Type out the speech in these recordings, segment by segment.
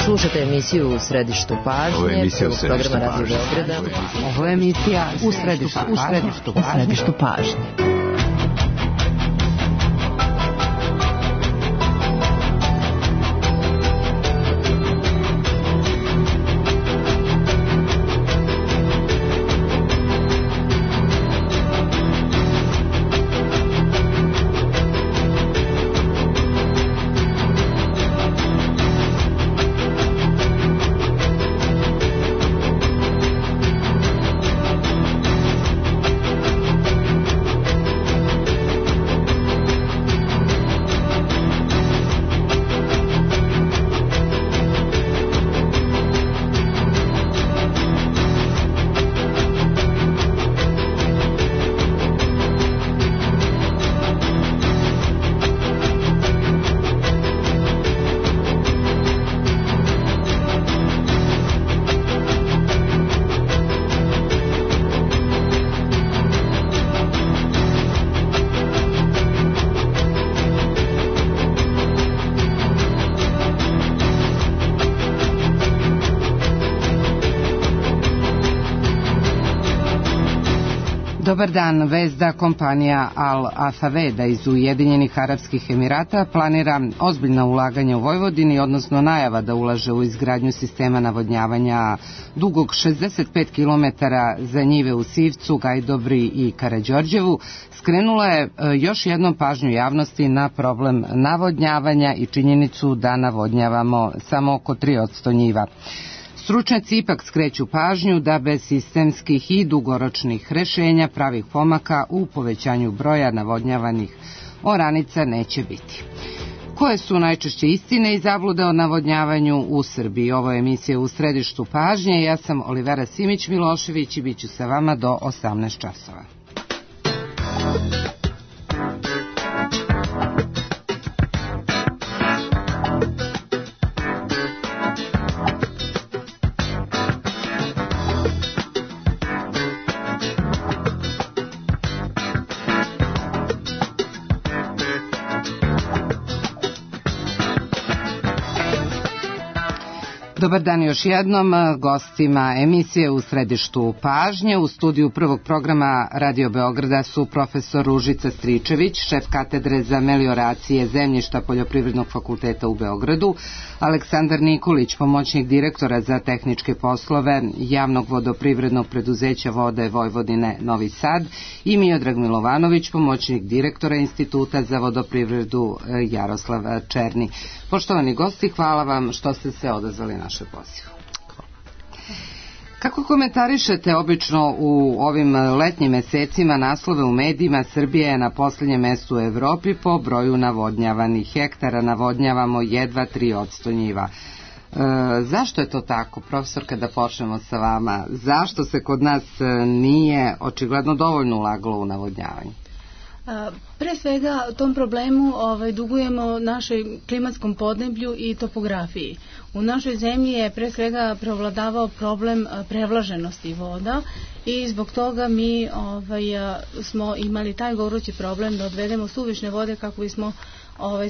Slušate emisiju U središtu pažnje, programa Radio Beograda. Ovo je emisija U središtu pažnje. Dobar dan, vest da kompanija Al Afaveda iz Ujedinjenih Arapskih Emirata planira ozbiljna ulaganja u Vojvodini, odnosno najava da ulaže u izgradnju sistema navodnjavanja dugog 65 km za njive u Sivcu, Gajdobri i Karađorđevu, skrenula je još jednom pažnju javnosti na problem navodnjavanja i činjenicu da navodnjavamo samo oko 3% njiva. Stručnjaci ipak skreću pažnju da bez sistemskih i dugoročnih rešenja pravih pomaka u povećanju broja navodnjavanih oranica neće biti. Koje su najčešće istine i zablude o navodnjavanju u Srbiji? Ovo je emisija U središtu pažnje. Ja sam Olivera Simić-Milošević i bit ću sa vama do 18 časova. Dobar dan još jednom gostima emisije U središtu pažnje. U studiju prvog programa Radio Beograda su profesor Ružica Stričević, šef katedre za melioracije zemljišta Poljoprivrednog fakulteta u Beogradu, Aleksandar Nikolić, pomoćnik direktora za tehničke poslove Javnog vodoprivrednog preduzeća Vode Vojvodine Novi Sad i Miodrag Milovanović, pomoćnik direktora Instituta za vodoprivredu Jaroslav Černi. Poštovani gosti, hvala vam što ste se odazvali naše pozivu. Kako komentarišete obično u ovim letnjim mesecima naslove u medijima? Srbija je na posljednjem mestu u Evropi po broju navodnjavanih hektara. Navodnjavamo jedva 3% njiva. Zašto je to tako? Profesorka, da počnemo sa vama. Zašto se kod nas nije očigledno dovoljno ulagalo u navodnjavanje? Pre svega tom problemu dugujemo našoj klimatskom podneblju i topografiji. U našoj zemlji je pre svega prevladavao problem prevlaženosti voda i zbog toga mi smo imali taj gorući problem da odvedemo suvišne vode kako bismo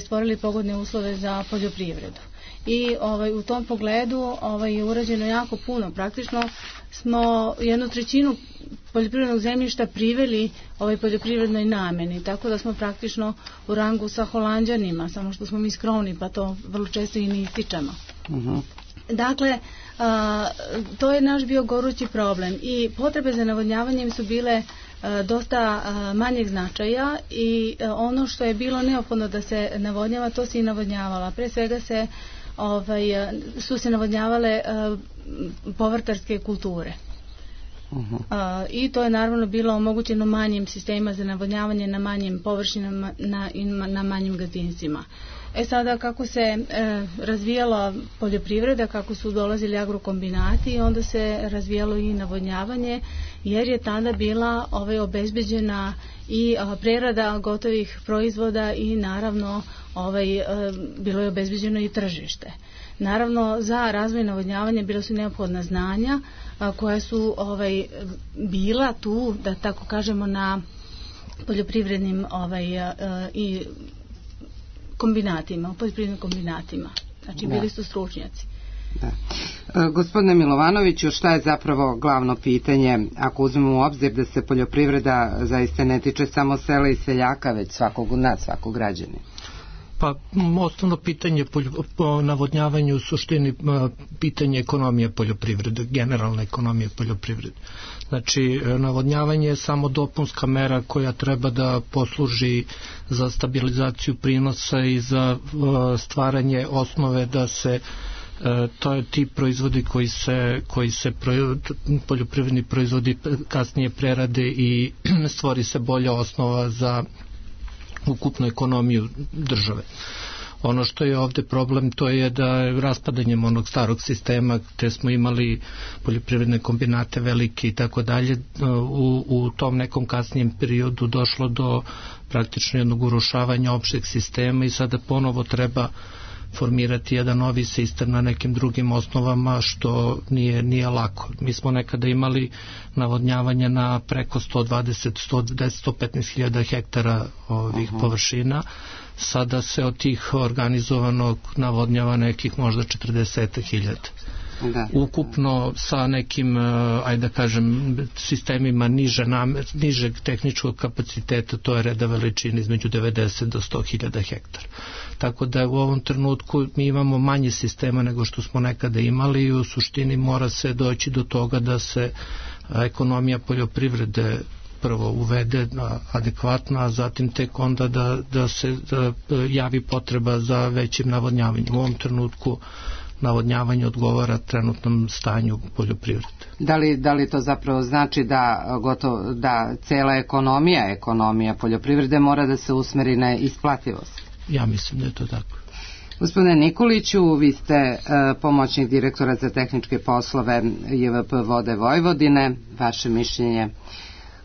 stvorili pogodne uslove za poljoprivredu. I u tom pogledu je urađeno jako puno. Praktično smo 1/3 poljoprivrednog zemljišta priveli poljoprivrednoj nameni, tako da smo praktično u rangu sa Holanđanima, samo što smo mi skromni pa to vrlo često i ne ističemo. Dakle, to je naš bio gorući problem i potrebe za navodnjavanjem su bile dosta manjeg značaja i ono što je bilo neophodno da se navodnjava, to se i navodnjavala. Pre svega su se navodnjavale povrtarske kulture. I to je naravno bilo omogućeno manjim sistemima za navodnjavanje na manjim površinama i na manjim gazdinstvima. Sada kako se razvijala poljoprivreda, kako su dolazili agrokombinati, onda se razvijalo i navodnjavanje, jer je tada bila obezbeđena i prerada gotovih proizvoda i naravno bilo je obezbeđeno i tržište. Naravno, za razvoj navodnjavanja bila su neophodna znanja koja su bila tu, da tako kažemo, na poljoprivrednim poljoprivrednim kombinatima. Znači, bili su stručnjaci. Gospodine Milovanoviću, šta je zapravo glavno pitanje ako uzmemo u obzir da se poljoprivreda zaista ne tiče samo sela i seljaka, već svakog od nas, svakog građanina? Pa osnovno pitanje po navodnjavanju u suštini pitanje ekonomije poljoprivrede, generalna ekonomija poljoprivrede. Znači, navodnjavanje je samo dopunska mera koja treba da posluži za stabilizaciju prinosa i za stvaranje osnove da se to je ti proizvodi koji se poljoprivredni proizvodi kasnije prerade i stvori se bolja osnova za ukupnu ekonomiju države. Ono što je ovde problem, to je da raspadanjem onog starog sistema gde smo imali poljoprivredne kombinate velike i tako dalje, u tom nekom kasnijem periodu došlo do praktično jednog urušavanja opšteg sistema i sada ponovo treba formirati jedan novi sistem na nekim drugim osnovama, što nije lako. Mi smo nekada imali navodnjavanje na preko 120-115 hiljada hektara ovih površina. Sada se od tih organizovanog navodnjava nekih možda 40.000. Ukupno sa nekim, ajde da kažem, sistemima nižeg tehničkog kapaciteta, to je reda veličine između 90 do 100.000 hektara. Tako da u ovom trenutku mi imamo manje sistema nego što smo nekada imali i u suštini mora se doći do toga da se ekonomija poljoprivrede prvo uvede adekvatno, a zatim tek onda da se javi potreba za većim navodnjavanjem. U ovom trenutku navodnjavanje odgovara trenutnom stanju poljoprivrede. Da li to zapravo znači da cela ekonomija poljoprivrede mora da se usmeri na isplativost? Ja mislim da je to tako. Gospodine Nikoliću, vi ste pomoćnik direktora za tehničke poslove JVP Vode Vojvodine. Vaše mišljenje,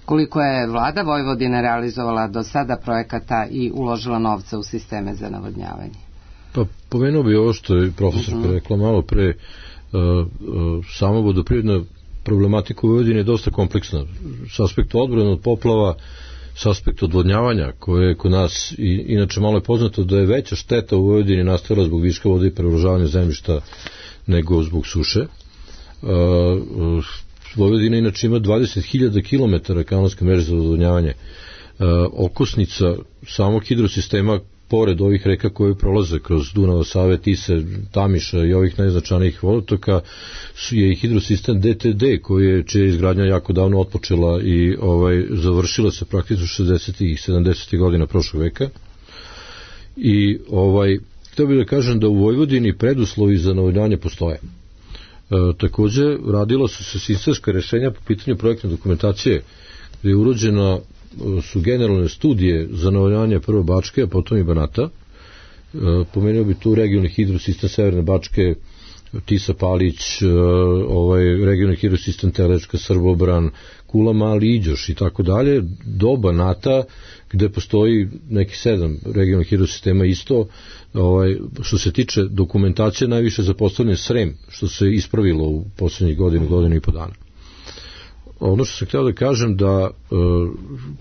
koliko je vlada Vojvodine realizovala do sada projekata i uložila novca u sisteme za navodnjavanje? Pa pomenuo bi ovo što je profesor rekla malo pre, sama vodoprivredna problematika u Vojvodini je dosta kompleksna. S aspekta odbrane od poplava, s aspekta odvodnjavanja, koje je kod nas, inače malo je poznato da je veća šteta u Vojvodini nastajala zbog viška vode i prevlažavanja zemljišta nego zbog suše. Vojvodina inače ima 20.000 km kanalske mreže za odvodnjavanje. Okosnica samog hidrosistema, pored ovih reka koje prolaze kroz Dunava, Save, Tise, Tamiša i ovih najznačajnijih vodotoka, je i hidrosistem DTD, čija je izgradnja jako davno otpočela i završila se praktično 60. i 70. godina prošlog veka. I htio bih da kažem da u Vojvodini preduslovi za navodnjavanje postoje. Takođe, radila su se sistemska rešenja po pitanju projektne dokumentacije, gde je urođena su generalne studije za navodnjavanje prvo Bačke, a potom i Banata. Pomenuo bi tu regionalni hidrosistem Severne Bačke, Tisa Palić, regionalni hidrosistem Telečka, Srbobran, Kula, Mali, Iđoš i tako dalje, do Banata, gde postoji neki 7 regionalnih hidrosistema isto. Što se tiče dokumentacije, najviše zapostavljen Srem, što se ispravilo u poslednjih godinu i po dana. Ono što sam htio da kažem da,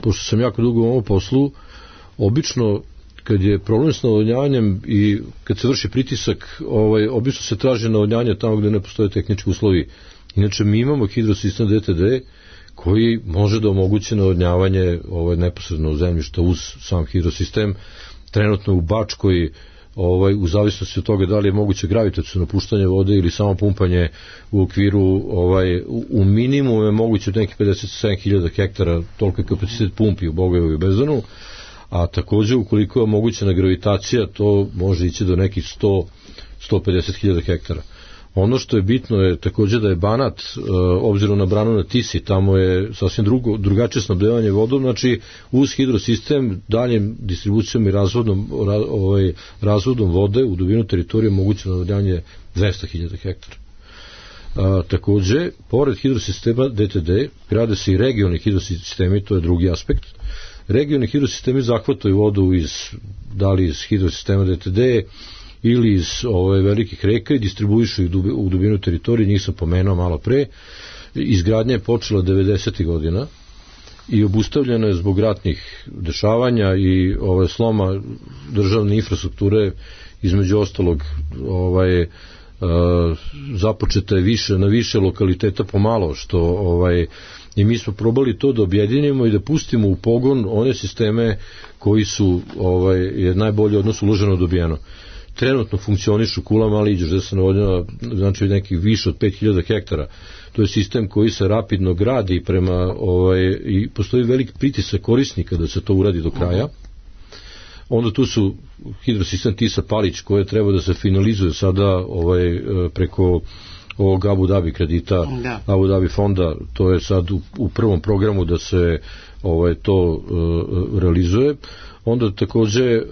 pošto sam jako dugo u ovom poslu, obično kad je problem s navodnjavanjem i kad se vrši pritisak, obično se traži navodnjanje tamo gde ne postoje tehnički uslovi. Inače, mi imamo hidrosistem DTD koji može da omogući navodnjavanje neposredno zemljišta uz sam hidrosistem. Trenutno u Bačkoj, u zavisnosti od toga da li je moguće gravitaciono puštanje vode ili samo pumpanje u okviru, u minimumu je moguće od nekih 57.000 hektara, toliko je kapacitet pumpi u Bogojevoj Bezdanu, a takođe ukoliko je mogućena gravitacija, to može ići do nekih 150.000 hektara. Ono što je bitno je takođe da je Banat, obzirom na branu na Tisi, tamo je sasvim drugačije snabdevanje vodom, znači uz hidrosistem, daljem distribucijom i razvodom vode u dubinu teritorije moguće navodnjavanje 200.000 hektara. Takođe, pored hidrosistema DTD, grade se i regionalni hidrosistemi, to je drugi aspekt. Regionalni hidrosistemi zahvataju vodu da li iz hidrosistema DTD ili iz velikih reka i distribuišu ih u dubinu teritorije, njih sam pomenuo malo pre. Izgradnja je počela 90. godina i obustavljena je zbog ratnih dešavanja i sloma državne infrastrukture, između ostalog započeta je na više lokaliteta pomalo, što i mi smo probali to da objedinimo i da pustimo u pogon one sisteme koji su je najbolje odnosno uloženo dobijeno. Trenutno funkcionišu Kula Mali Iđoš, gde se navodnjava znači nekih više od 5000 hektara. To je sistem koji se rapidno gradi prema i postoji velik pritisak korisnika da se to uradi do kraja. Onda tu su hidrosistem Tisa Palić koje treba da se finalizuje sada preko ovog Abu Dhabi kredita, Abu Dhabi fonda, to je sad u prvom programu da se to realizuje. Onda takođe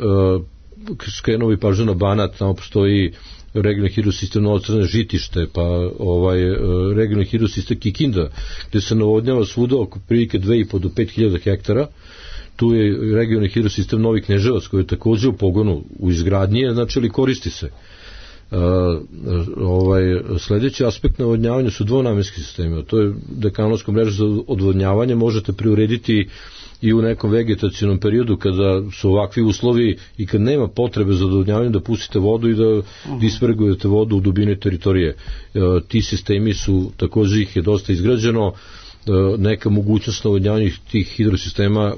skrenuo bi pažnju na Banat, tamo postoji regionalni hidrosistem Novo Crne Žitište, pa regionalni hidrosistem Kikinda, gde se navodnjava svuda oko prilike 2,5 do 5.000 hektara. Tu je regionalni hidrosistem Novi Kneževac koji je takođe u pogonu u izgradnji, znači ali koristi se. Sledeći aspekt navodnjavanja su dvonamenski sistemi, to je dekanalska mreža za odvodnjavanje, možete preurediti i u nekom vegetacionom periodu kada su ovakvi uslovi i kad nema potrebe za odvodnjavanje da pustite vodu i da dispergujete vodu u dubine teritorije. Ti sistemi su, takođe ih je dosta izgrađeno, neka mogućnost navodnjavanja tih hidrosistema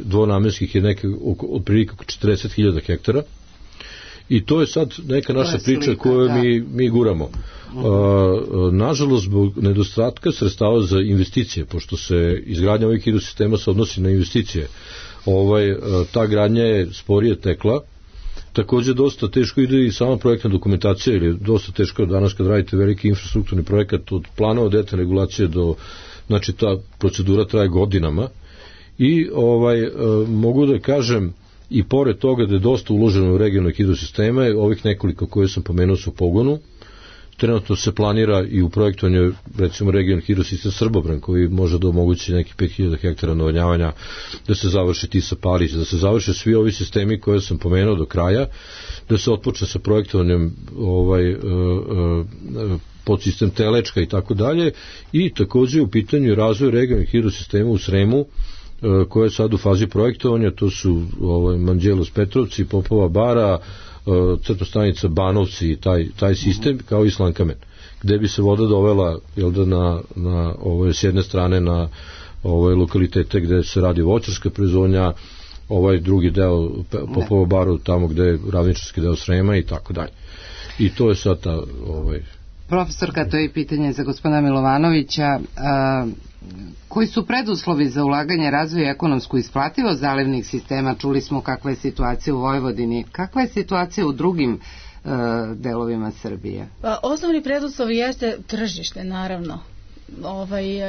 dvonamenskih je neka otprilike oko 40.000 hektara. I to je sad neka naša priča koju mi guramo. Nažalost, zbog nedostatka sredstava za investicije, pošto se izgradnja ovih hidrosistema se odnosi na investicije, ta gradnja je sporije tekla. Takođe, dosta teško ide i sama projektna dokumentacija, ili dosta teško danas kad radite veliki infrastrukturni projekat od planova detaljne regulacije do, znači ta procedura traje godinama i mogu da kažem i pored toga da je dosta uloženo u regionalne hidrosisteme, ovih nekoliko koje sam pomenuo su u pogonu. Trenutno se planira i u projektovanju recimo regionalni hidrosistem Srbobran koji može da omogući nekih 5.000 hektara navodnjavanja, da se završi Tisa Palić, da se završe svi ovi sistemi koje sam pomenuo do kraja, da se otpočne sa projektovanjem podsistem Telečka i tako dalje, i takođe u pitanju razvoj regionalnih hidrosistema u Sremu koja je sad u fazi projektovanja, to su Manđelos Petrovci, Popova Bara, crtostanica Banovci i taj sistem, kao i Slankamen, gde bi se voda dovela s jedne strane na lokalitete gde se radi voćarska proizvodnja, drugi deo Popova Baru tamo gde je ravničarski deo Srema i tako dalje. I to je sad ta... Profesorka, to je pitanje za gospodina Milovanovića. Koji su preduslovi za ulaganje, razvoj i ekonomsku isplativost zalivnih sistema? Čuli smo kakva je situacija u Vojvodini. Kakva je situacija u drugim delovima Srbije? Osnovni preduslov jeste tržište, naravno.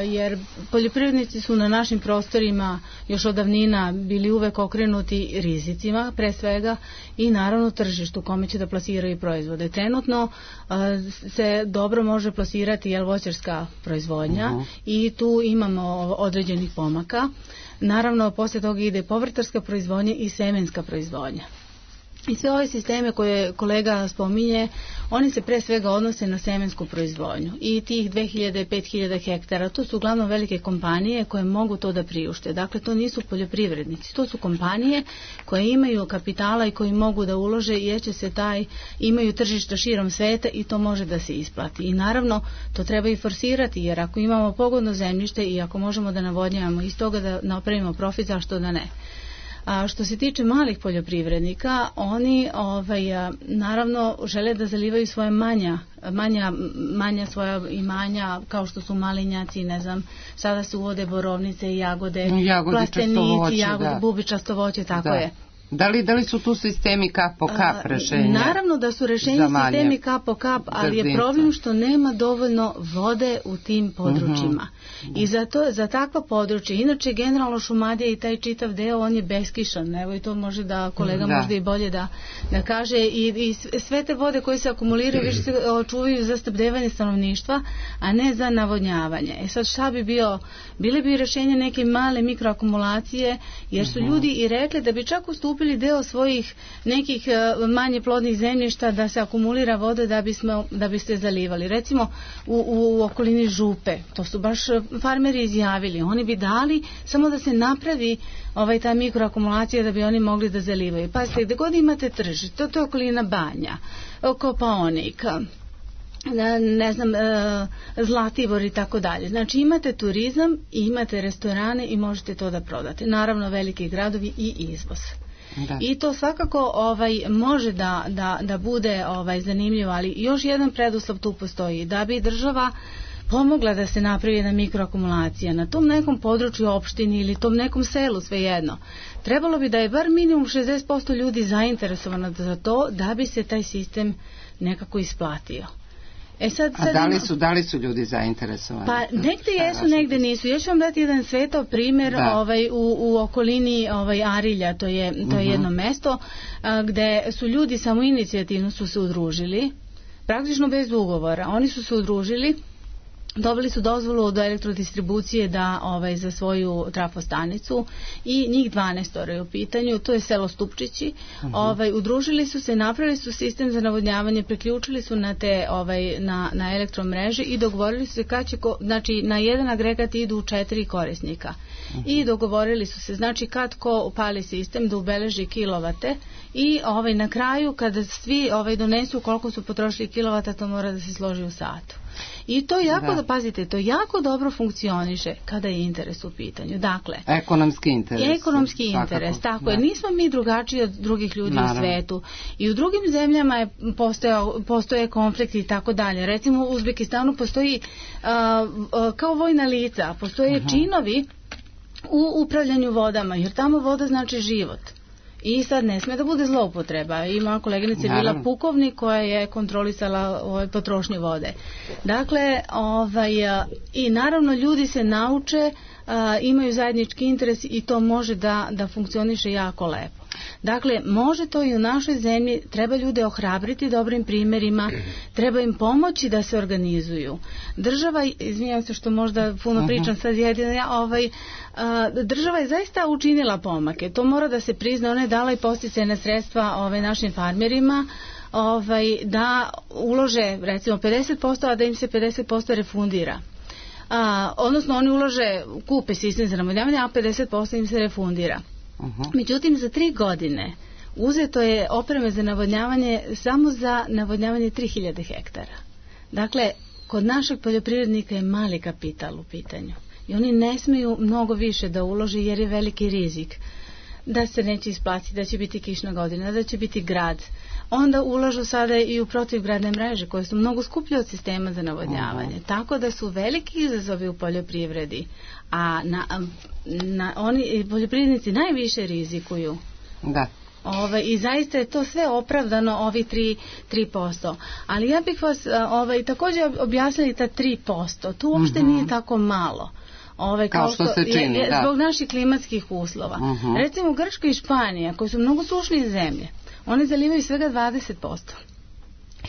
Jer poljoprivrednici su na našim prostorima još od davnina bili uvek okrenuti rizicima, pre svega, i naravno tržištu kome će da plasiraju proizvode. Trenutno se dobro može plasirati voćarska proizvodnja i tu imamo određenih pomaka. Naravno, posle toga ide povrtarska proizvodnja i semenska proizvodnja. I sve ove sisteme koje kolega spominje, oni se pre svega odnose na semensku proizvodnju. I tih 2000 i 5000 hektara, to su uglavnom velike kompanije koje mogu to da priušte. Dakle, to nisu poljoprivrednici, to su kompanije koje imaju kapitala i koji mogu da ulože, jer će se imaju tržišta širom sveta i to može da se isplati. I naravno, to treba i forsirati, jer ako imamo pogodno zemljište i ako možemo da navodnjavamo iz toga da napravimo profit, zašto da ne? A što se tiče malih poljoprivrednika, oni naravno žele da zalivaju svoje manja svoja imanja, kao što su malinjaci, ne znam, sada se uvode borovnice, jagode, plastenici, bubičasto voće, tako je. Da li su tu sistemi kap po kap rešenja? Naravno da su rešenja sistemi kap po kap, ali je problem što nema dovoljno vode u tim područjima. I za takva područja, inače generalno Šumadija i taj čitav deo, on je beskišan, evo i to može da kolega možda i bolje da kaže, i sve te vode koje se akumuliraju više se očuvaju za snabdevanje stanovništva, a ne za navodnjavanje. Sad šta bi bile bi rešenje neke male mikroakumulacije, jer su ljudi i rekli da bi čak ustupili deo svojih nekih manje plodnih zemljišta da se akumulira voda da biste zalivali. Recimo u okolini Župe, to su baš farmeri izjavili, oni bi dali samo da se napravi ta mikroakumulacija da bi oni mogli da zalivaju. Pazite, gde god imate tržište, to je okolina Banja, Kopaonik, ne znam, Zlatibor i tako dalje. Znači imate turizam i imate restorane i možete to da prodate. Naravno veliki gradovi i izvoz. Da. I to svakako može da bude zanimljivo, ali još jedan preduslov tu postoji, da bi država pomogla da se napravi jedna mikroakumulacija na tom nekom području opštini ili tom nekom selu, svejedno. Trebalo bi da je bar minimum 60% ljudi zainteresovano za to da bi se taj sistem nekako isplatio. Da li su ljudi zainteresovani? Pa negde jesu, negde nisu. Ja ću vam dati jedan svetao primjer u okolini Arilja, to je jedno mesto gde su ljudi samoinicijativno su se udružili, praktično bez ugovora. Oni su se udružili, dobili su dozvolu do elektrodistribucije za svoju trafostanicu i njih 12 je u pitanju, to je selo Stupčići. Udružili su se, napravili su sistem za navodnjavanje, priključili su na elektromreže i dogovorili su se kad će, znači na jedan agregat idu 4 korisnika. I dogovorili su se, znači kad ko upali sistem da ubeleži kilovate i na kraju kada svi donesu koliko su potrošili kilovata, to mora da se složi u satu. I to jako, pazite, to jako dobro funkcioniše kada je interes u pitanju. Dakle, ekonomski interes, tako je. Nismo mi drugačiji od drugih ljudi u svetu. I u drugim zemljama postoje konflikti i tako dalje. Recimo u Uzbekistanu postoji kao vojna lica, postoje činovi u upravljanju vodama, jer tamo voda znači život. I sad ne sme da bude zloupotreba. Ima koleginica bila pukovnik koja je kontrolisala potrošnju vode. Dakle, i naravno ljudi se nauče, imaju zajednički interes i to može da funkcioniše jako lepo. Dakle, može to i u našoj zemlji, treba ljude ohrabriti dobrim primjerima, treba im pomoći da se organizuju. Država, izvinjam se što možda puno pričam sad jedino, država je zaista učinila pomake, to mora da se prizna, ona je dala i podsticajna sredstva našim farmerima, da ulože recimo 50%, a da im se 50% refundira. Odnosno oni ulože, kupe sistem za navodnjavanje, a 50% im se refundira. Međutim, za 3 godine uzeto je opreme za navodnjavanje samo za navodnjavanje 3000 hektara. Dakle, kod našeg poljoprivrednika je mali kapital u pitanju i oni ne smiju mnogo više da ulože jer je veliki rizik da se neće isplatiti, da će biti kišna godina, da će biti grad. Onda ulažu sada i u protivgradne mreže koje su mnogo skuplje od sistema za navodnjavanje. Tako da su veliki izazovi u poljoprivredi, a oni poljoprivrednici najviše rizikuju. Da. I zaista je to sve opravdano, ovi 3%. Ali ja bih vas također objasnili ta 3%. To uopšte nije tako malo. Kao što se čini, zbog naših klimatskih uslova. Recimo Grčka i Španija, koji su mnogo sušnije zemlje, one zalivaju svega 20%.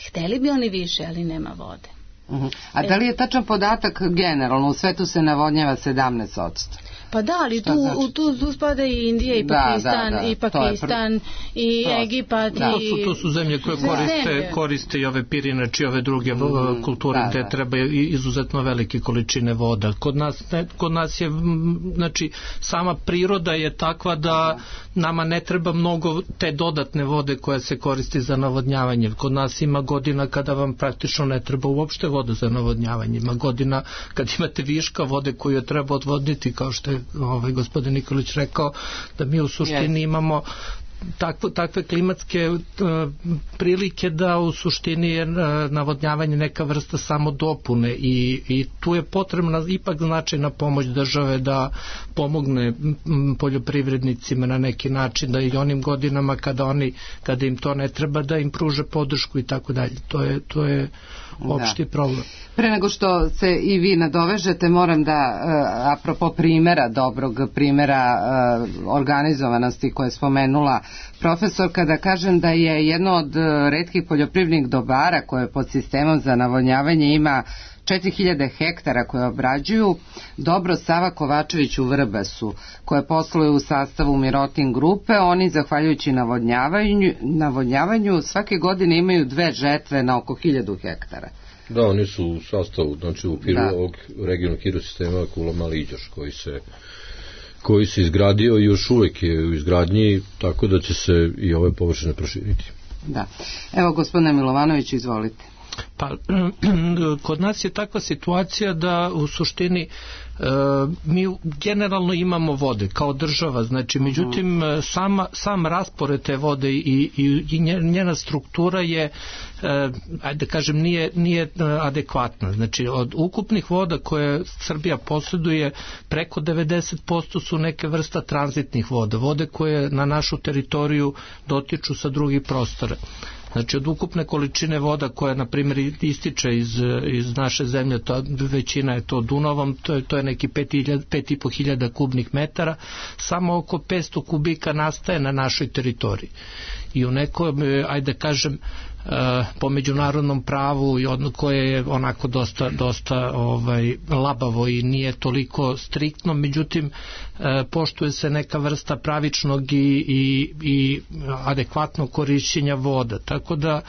Hteli bi oni više, ali nema vode. A da li je tačan podatak generalno? U svetu se navodnjava 17%. Pa da, ali tu spada i Indija i Pakistan i Egipat. To su zemlje koje koriste i ove pirinače i ove druge kulture gde treba izuzetno velike količine voda. Kod nas je, znači, sama priroda je takva da nama ne treba mnogo te dodatne vode koja se koristi za navodnjavanje. Kod nas ima godina kada vam praktično ne treba uopšte voda za navodnjavanje. Ima godina kad imate viška vode koju je treba odvodniti, kao što je gospodin Nikolić rekao, da mi u suštini imamo takve klimatske prilike da u suštini je navodnjavanje neka vrsta samo dopune i tu je potrebna ipak značajna pomoć države da pomogne poljoprivrednicima na neki način, da i onim godinama kada im to ne treba, da im pruže podršku i tako dalje. To je opšti problem. Pre nego što se i vi nadovežete, moram da, apropo dobrog primjera organizovanosti koje je spomenula profesorka, da kažem da je jedno od retkih poljoprivrednih dobara koje pod sistemom za navodnjavanje ima 4000 hektara koje obrađuju Dobro Sava Kovačević u Vrbasu, koje posluje u sastavu Mirotin grupe. Oni, zahvaljujući navodnjavanju, svake godine imaju 2 žetve na oko 1000 hektara. Da, oni su u sastavu, znači u okviru ovog regionalnog hidrosistema Kula Mali Iđoš, koji se izgradio i još uvek je u izgradnji, tako da će se i ove površine proširiti. Da. Evo, gospodine Milovanović, izvolite. Pa, kod nas je takva situacija da u suštini mi generalno imamo vode kao država, znači međutim sam raspored te vode i njena struktura je, ajde kažem, nije adekvatna. Znači od ukupnih voda koje Srbija posjeduje, preko 90% su neke vrsta tranzitnih voda, vode koje na našu teritoriju dotiču sa drugih prostora. Znači od ukupne količine voda koja na primjer ističe iz naše zemlje, većina je to Dunavom, to je neki 5.500 kubnih metara, samo oko 500 kubika nastaje na našoj teritoriji. I u nekom, ajde kažem, po međunarodnom pravu koje je onako dosta labavo i nije toliko striktno, međutim poštuje se neka vrsta pravičnog i adekvatnog korišćenja voda, tako da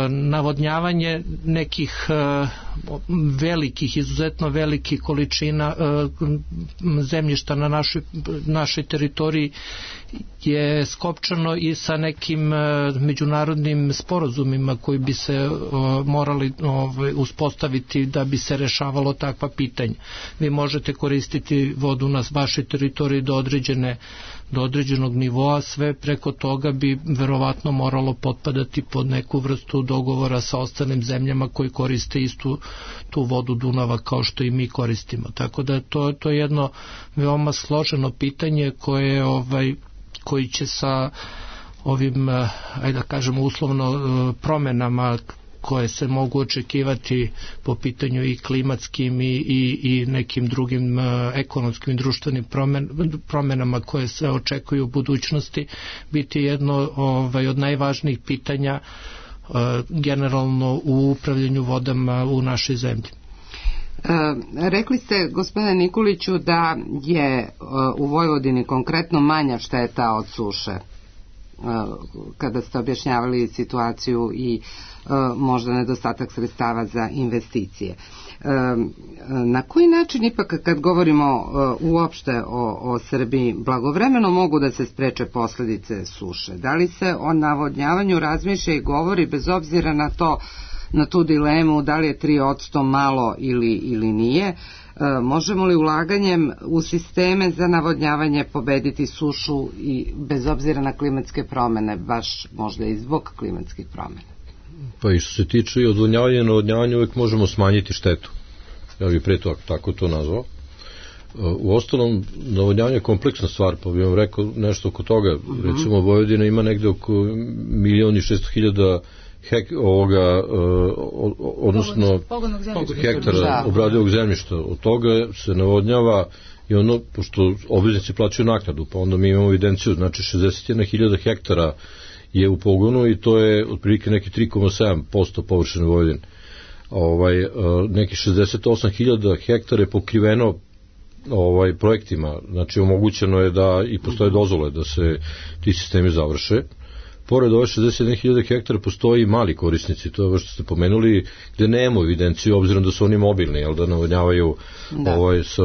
navodnjavanje nekih velikih, izuzetno velikih količina zemljišta na našoj teritoriji je skopčano i sa nekim međunarodnim sporazumima koji bi se morali uspostaviti da bi se rešavalo takva pitanja. Vi možete koristiti vodu na vašoj teritoriji do određenog nivoa, sve preko toga bi verovatno moralo potpadati pod neku vrstu dogovora sa ostalim zemljama koji koriste istu tu vodu Dunava kao što i mi koristimo. Tako da to je jedno veoma složeno pitanje koji će sa ovim, ajde da kažemo, uslovno promenama koje se mogu očekivati po pitanju i klimatskim i nekim drugim ekonomskim i društvenim promenama koje se očekuju u budućnosti, biti jedno od najvažnijih pitanja generalno u upravljanju vodama u našoj zemlji. Rekli ste, gospodine Nikoliću, da je u Vojvodini konkretno manja šteta od suše, kada ste objašnjavali situaciju i možda nedostatak sredstava za investicije. Na koji način ipak, kad govorimo uopšte o Srbiji, blagovremeno mogu da se spreče posledice suše? Da li se o navodnjavanju razmišlja i govori bez obzira na tu dilemu da li je 3% malo ili nije? Možemo li ulaganjem u sisteme za navodnjavanje pobediti sušu i bez obzira na klimatske promene, baš možda i zbog klimatskih promena? Pa i što se tiče i odvodnjavanja i navodnjavanja, uvek možemo smanjiti štetu. Ja bih pre to tako to nazvao. U ostalom, navodnjavanje je kompleksna stvar, pa bih vam rekao nešto oko toga. Recimo, Vojvodina ima negde oko 1.600.000 odnosno hektara obradivog zemljišta. Od toga se navodnjava i ono, pošto obveznici plaćaju naknadu, pa onda mi imamo evidenciju, znači 61.000 hektara je u pogonu i to je otprilike neki 3,7% površine Vojvodine. Neki 68.000 hektara je pokriveno projektima, znači omogućeno je da i postoje dozvole da se ti sistemi završe. Pored ove 61.000 hektara postoji mali korisnici, to je ovo što ste pomenuli, gde nemamo evidenciju, obzirom da su oni mobilni, jel, da navodnjavaju sa,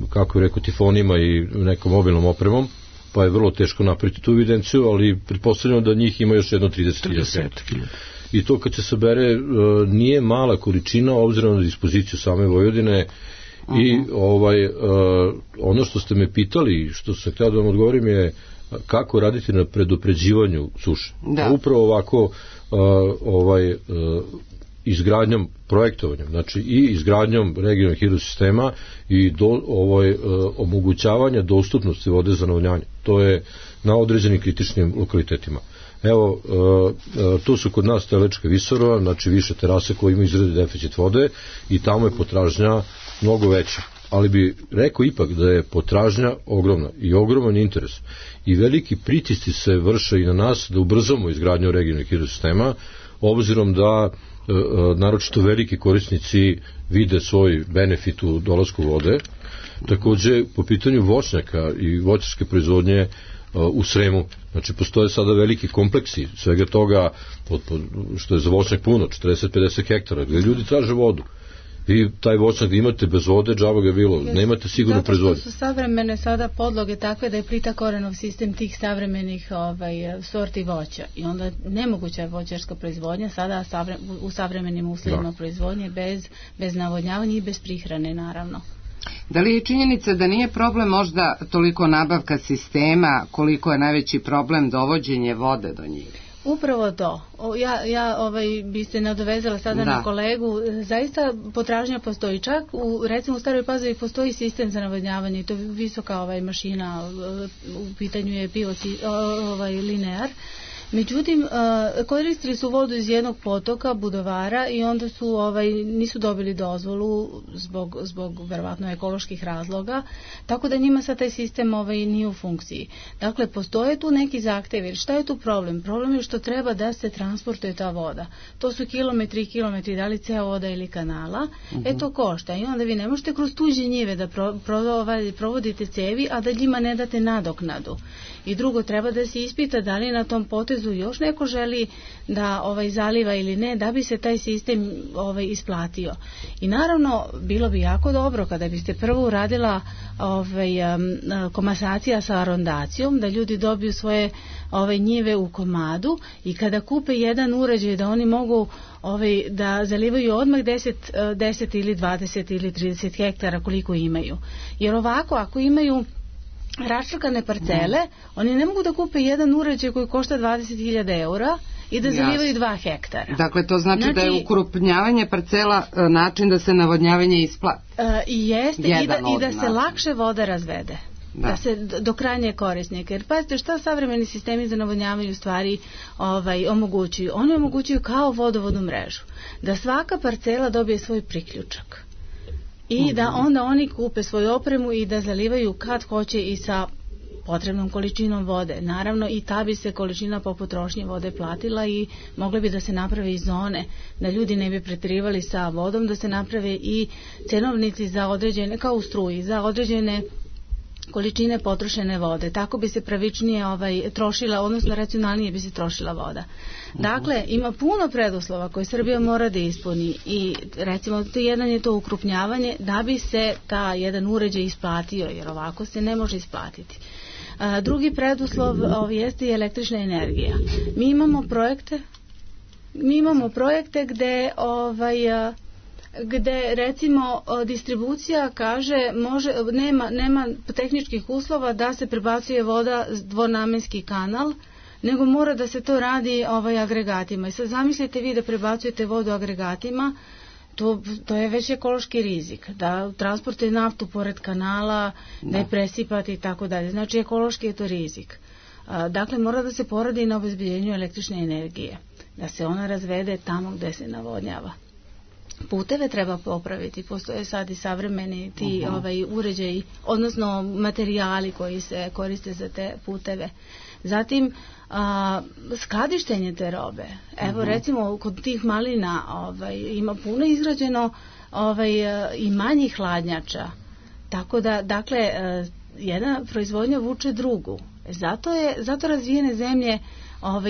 kako je rekao, tifonima i nekom mobilnom opremom, pa je vrlo teško napraviti tu evidenciju, ali pretpostavljamo da njih ima još jedno 30.000 hektara. I to kad se sabere nije mala količina, obzirom na dispoziciju same Vojvodine. I ono što ste me pitali, što sam htio da vam odgovorim, je kako raditi na predopređivanju suše. Upravo ovako izgradnjom, projektovanjem, znači i izgradnjom regionalnih hidrosistema i omogućavanja dostupnosti vode za navodnjavanje. To je na određenim kritičnim lokalitetima. Evo, tu su kod nas Telečka Visorova, znači više terase koje imaju izradi deficit vode i tamo je potražnja mnogo veća. Ali bi rekao ipak da je potražnja ogromna i ogroman interes. I veliki pritisci se vrše i na nas da ubrzamo izgradnju regionalnih hidrosistema, obzirom da naročito veliki korisnici vide svoj benefit u dolasku vode. Takođe, po pitanju voćnjaka i voćarske proizvodnje u Sremu, znači postoje sada veliki kompleksi svega toga, što je za voćnjak puno, 40-50 hektara, gde ljudi traže vodu. Vi taj voćnjak da imate bez vode, džaba ga bilo, nemate sigurno proizvodnju. Zato što su savremene sada podloge takve da je plita korenov sistem tih savremenih sorti voća i onda nemoguća je voćarska proizvodnja sada u savremenim uslovima proizvodnje bez navodnjavanja i bez prihrane naravno. Da li je činjenica da nije problem možda toliko nabavka sistema koliko je najveći problem dovođenje vode do njih? Upravo to. Ja bi se nadovezala sada na kolegu. Zaista potražnja postoji. Čak recimo u Staroj Pazovi postoji sistem za navodnjavanje i to je visoka mašina, u pitanju je linear. Međutim, koristili su vodu iz jednog potoka, Budovara, i onda su nisu dobili dozvolu zbog verovatno ekoloških razloga, tako da njima sad taj sistem nije u funkciji. Dakle, postoje tu neki zahtevi. Šta je tu problem? Problem je što treba da se transportuje ta voda. To su kilometri, da li ceo voda ili kanala, to košta. I onda vi ne možete kroz tuđe njive da provodite cevi, a da njima ne date nadoknadu. I drugo, treba da se ispita da li na tom potezu još neko želi da zaliva ili ne, da bi se taj sistem isplatio. I naravno, bilo bi jako dobro kada biste prvo uradila komasacija sa arondacijom, da ljudi dobiju svoje njive u komadu i kada kupe jedan uređaj da oni mogu da zalivaju odmah 10 ili 20 ili 30 hektara koliko imaju. Jer ovako, ako imaju raščakane parcele, oni ne mogu da kupe jedan uređaj koji košta 20.000 eura i da zalivaju 2 hektara. Dakle, to znači da je ukrupnjavanje parcela način da se navodnjavanje isplati. Jeste, i da se lakše voda razvede. Da se do krajnje korisnika. Jer pazite šta savremeni sistemi za navodnjavanje u stvari omogućuju. Oni omogućuju kao vodovodnu mrežu. Da svaka parcela dobije svoj priključak. I da onda oni kupe svoju opremu i da zalivaju kad hoće i sa potrebnom količinom vode. Naravno i ta bi se količina po potrošnji vode platila i mogle bi da se naprave i zone, da ljudi ne bi preterivali sa vodom, da se naprave i cenovnici za određene, kao u struji, za određene količine potrošene vode. Tako bi se pravičnije trošila, odnosno racionalnije bi se trošila voda. Dakle, ima puno preduslova koje Srbija mora da ispuni i recimo jedan je to ukrupnjavanje da bi se ta jedan uređaj isplatio, jer ovako se ne može isplatiti. Drugi preduslov jeste i električna energija. Mi imamo projekte gde recimo distribucija kaže nema tehničkih uslova da se prebacuje voda dvonamenski kanal, nego mora da se to radi agregatima. I sad zamislite vi da prebacujete vodu agregatima, to je već ekološki rizik, da transportuje naftu pored kanala, da je presipate i tako dalje. Znači ekološki je to rizik. Dakle, mora da se poradi na obezbeđenju električne energije, da se ona razvede tamo gde se navodnjava. Puteve treba popraviti, postoje sad i savremeni ti uređaji, odnosno materijali koji se koriste za te puteve. Zatim, skladištenje te robe. Evo recimo kod tih malina ima puno izgrađeno i manjih hladnjača. Tako da, dakle, jedna proizvodnja vuče drugu. Zato razvijene zemlje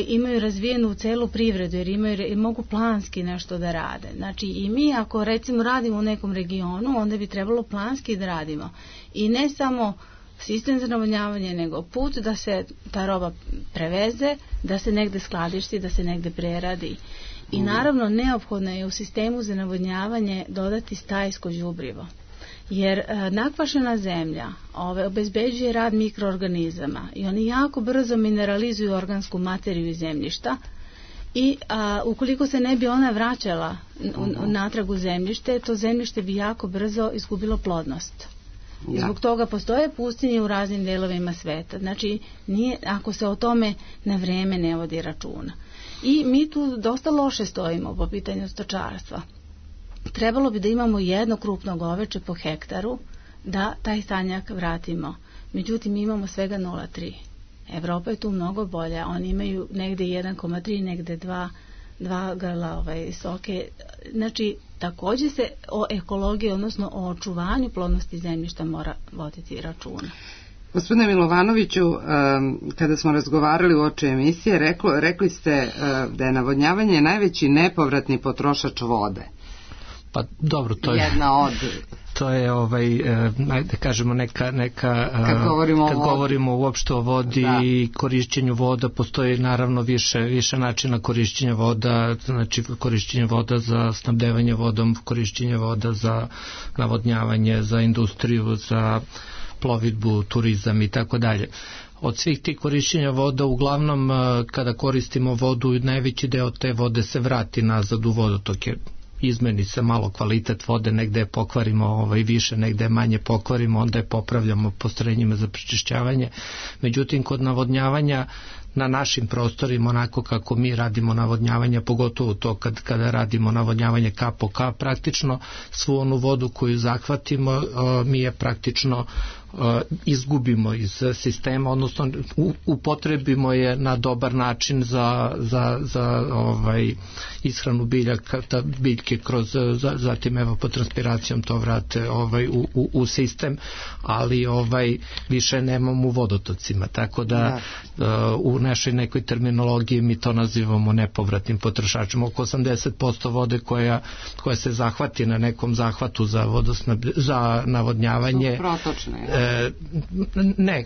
imaju razvijenu celu privredu jer mogu planski nešto da rade. Znači i mi ako recimo radimo u nekom regionu, onda bi trebalo planski da radimo. I ne samo sistem za navodnjavanje, nego put da se ta roba preveze, da se negde skladišti, da se negde preradi. I naravno neophodno je u sistemu za navodnjavanje dodati stajsko đubrivo. Jer nakvašena zemlja obezbeđuje rad mikroorganizama i oni jako brzo mineralizuju organsku materiju iz zemljišta i ukoliko se ne bi ona vraćala natrag u zemljište, to zemljište bi jako brzo izgubilo plodnost. Zbog toga postoje pustinje u raznim delovima sveta. Znači, ako se o tome na vreme ne vodi računa. I mi tu dosta loše stojimo po pitanju stočarstva. Trebalo bi da imamo jedno krupno goveče po hektaru da taj stanjak vratimo. Međutim, imamo svega 0,3. Evropa je tu mnogo bolja. Oni imaju negde 1,3, negde 2 grla soke. Znači, takođe se o ekologiji, odnosno o očuvanju plodnosti zemljišta mora voditi računa. Gospodine Milovanoviću, kada smo razgovarali uoči emisije, rekli ste da je navodnjavanje najveći nepovratni potrošač vode. Pa dobro, to je jedna od... To je da kažemo neka kad govorimo uopšte o vodi i korišćenju voda, postoji naravno više načina korišćenja voda, znači korišćenje voda za snabdevanje vodom, korišćenje voda za navodnjavanje, za industriju, za plovidbu, turizam i tako dalje. Od svih tih korišćenja voda, uglavnom kada koristimo vodu, najveći deo te vode se vrati nazad u vodotoke. Izmeni se malo kvalitet vode, negde je pokvarimo više, negde je manje pokvarimo, onda je popravljamo postrojenjima za prečišćavanje. Međutim, kod navodnjavanja na našim prostorima, onako kako mi radimo navodnjavanje, pogotovo to kada radimo navodnjavanje kap po kap, praktično svu onu vodu koju zahvatimo mi je praktično izgubimo iz sistema, odnosno upotrebimo je na dobar način za ishranu biljke kroz, zatim evapotranspiracijom to vrate u sistem, ali više nemamo u vodotocima, tako da u našoj nekoj terminologiji mi to nazivamo nepovratnim potrošačima. Oko 80% vode koja se zahvati na nekom zahvatu za navodnjavanje protočne. Ne,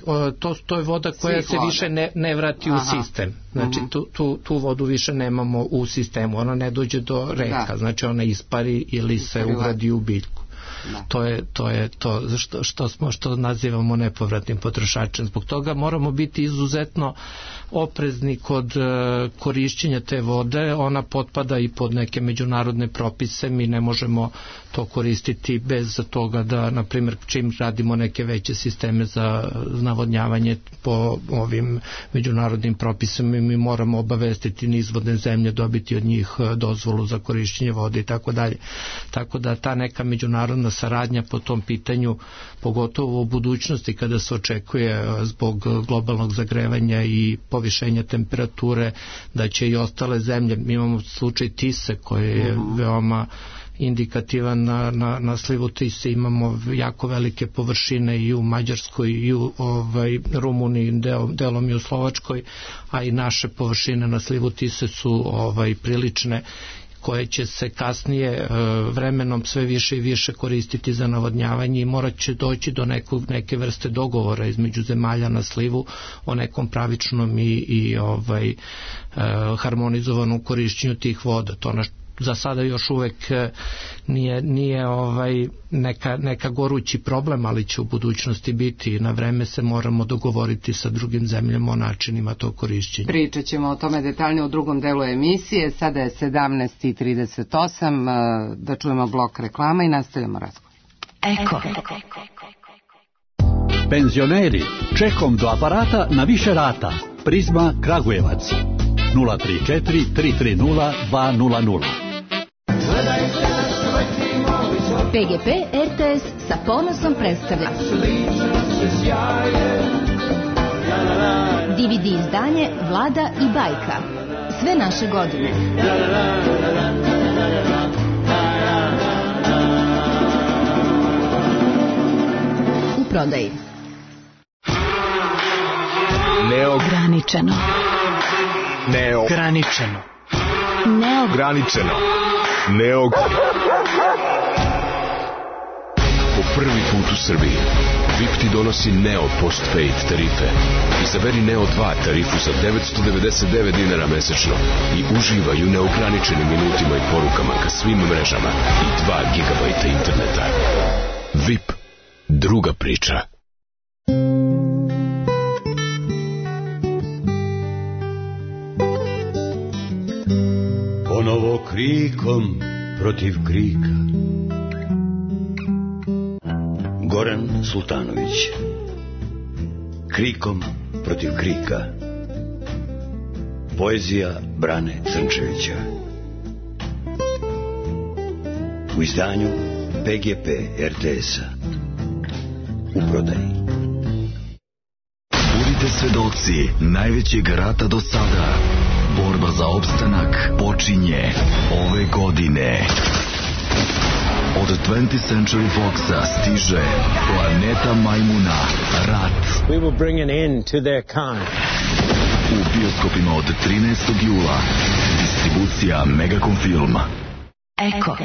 to je voda koja se više ne vrati u sistem. Znači tu vodu više nemamo u sistemu, ona ne dođe do reka, znači ona ispari ili se ugradi u biljku. To je to što nazivamo nepovratnim potrošačem. Zbog toga moramo biti izuzetno oprezni kod korišćenja te vode. Ona potpada i pod neke međunarodne propise. Mi ne možemo to koristiti bez toga da, na primjer, čim radimo neke veće sisteme za navodnjavanje po ovim međunarodnim propisima, mi moramo obavestiti nizvodne zemlje, dobiti od njih dozvolu za korišćenje vode i tako dalje. Tako da ta neka međunarodna saradnja po tom pitanju, pogotovo u budućnosti kada se očekuje zbog globalnog zagrevanja i povišenja temperature, da će i ostale zemlje, mi imamo slučaj Tise koji je veoma indikativan na slivu Tise, imamo jako velike površine i u Mađarskoj i u Rumuniji, delom i u Slovačkoj, a i naše površine na slivu Tise su prilične, koje će se kasnije vremenom sve više i više koristiti za navodnjavanje i morat će doći do neke vrste dogovora između zemalja na slivu o nekom pravičnom i harmonizovanom korišćenju tih voda. To za sada još uvek nije neka gorući problem, ali će u budućnosti biti i na vreme se moramo dogovoriti sa drugim zemljama o načinima tog korišćenja. Pričat ćemo o tome detaljnije u drugom delu emisije. Sada je 17:38, da čujemo blok reklama i nastavljamo razgovor. Eko. Penzioneri, čekom do aparata na više rata. Prizma Kragujevac 034 330 200. PGP RTS sa ponosom predstavlja DVD izdanje Vlada i bajka. Sve naše godine. U prodaji. Neograničeno. Neograničeno. Neograničeno. Po prvi put u Srbiji VIP ti donosi Neo Postpaid tarife. Izaberi Neo 2 tarifu za 999 dinara mesečno i uživaj u neograničenim minutima i porukama ka svim mrežama i 2 gigabajta interneta. VIP, druga priča. Ponovo krikom protiv krika. Goran Sultanović. Krikom protiv krika. Poezija Brane Crnčevića. U izdanju PGP RTS-a. U prodaji. Budite svedoci najvećeg rata do sada. Borba za opstanak počinje ove godine. Od 20th Century Foxa stiže Planeta Majmuna, Rat. We will bring an end to their kind. U bioskopima od 13. jula. Distribucija Megacom Film. Eko.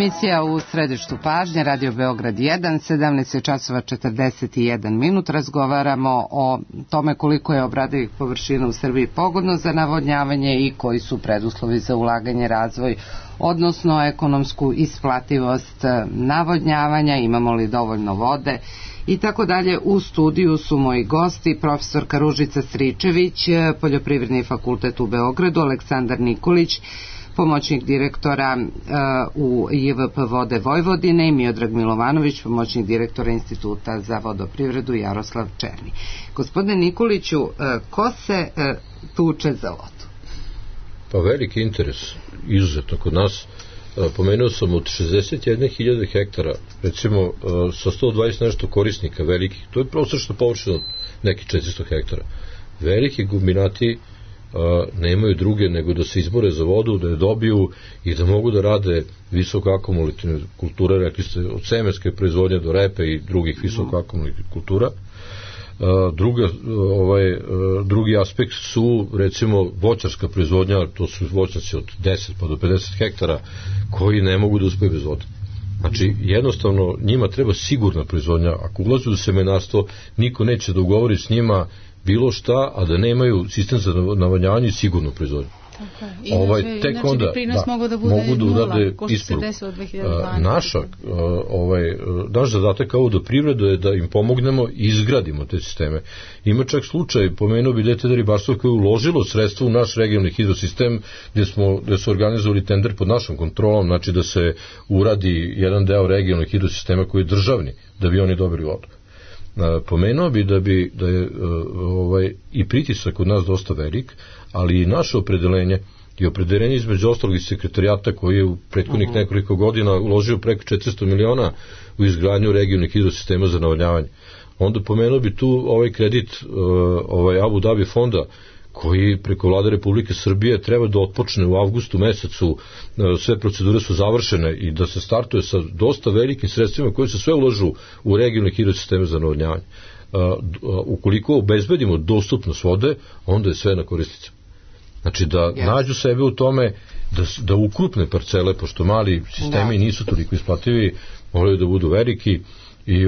emisija U središtu pažnje, Radio Beograd 1, 17 časova 41 minut. Razgovaramo o tome koliko je obradivih površina u Srbiji pogodno za navodnjavanje i koji su preduslovi za ulaganje, razvoj, odnosno ekonomsku isplativost navodnjavanja, imamo li dovoljno vode i tako dalje. U studiju su moji gosti, profesorka Ružica Stričević, Poljoprivredni fakultet u Beogradu, Aleksandar Nikolić, pomoćnik direktora u JVP Vode Vojvodine, i Miodrag Milovanović, pomoćnik direktora Instituta za vodoprivredu, Jaroslav Černi. Gospodine Nikoliću, ko se tuče za vodu? Pa veliki interes, izuzetno kod nas. Pomenuo sam od 61.000 hektara, recimo sa 120 nešto korisnika velikih, to je prosječna površina od nekih 400 hektara. Veliki kombinati nemaju druge nego da se izbore za vodu, da je dobiju i da mogu da rade visoko akumulativne kulture, rekli ste od semenske proizvodnje do repe i drugih visoko akumulativnih kultura. Drugi aspekt su recimo voćarska proizvodnja, to su voćnjaci od 10 pa do 50 hektara koji ne mogu da uspeju bez vode. Znači jednostavno njima treba sigurna proizvodnja. Ako ulaze u semenarstvo, niko neće da ugovori s njima bilo šta, a da nemaju sistem za navodnjavanje i sigurnu proizvodnju. Tek onda mogu da urade isporuku. Naš zadatak kao vodoprivredu je da im pomognemo i izgradimo te sisteme. Ima čak slučaj, pomenuo bi DTD ribarstvo koje je uložilo sredstvo u naš regionalni hidrosistem gde su organizovali tender pod našom kontrolom, znači da se uradi jedan deo regionalnih hidrosistema koji je državni, da bi oni dobili vodu. Pomenuo bi da je i pritisak kod nas dosta velik, ali i naše opredeljenje i opredeljenje između ostalog i sekretarijata koji je u prethodnih nekoliko godina uložio preko 400 miliona u izgradnju regionalnih hidrosistema za navodnjavanje. Onda pomenuo bi tu ovaj kredit Abu Dhabi fonda koji preko Vlade Republike Srbije treba da otpočne u avgustu mesecu, sve procedure su završene i da se startuje sa dosta velikim sredstvima koji se sve uložu u regionalne hidrosisteme za navodnjavanje. Ukoliko obezbedimo dostupnost vode, onda je sve na korisnicama. Znači da nađu sebe u tome, da ukrupne parcele, pošto mali sistemi nisu toliko isplativi, moraju da budu veliki i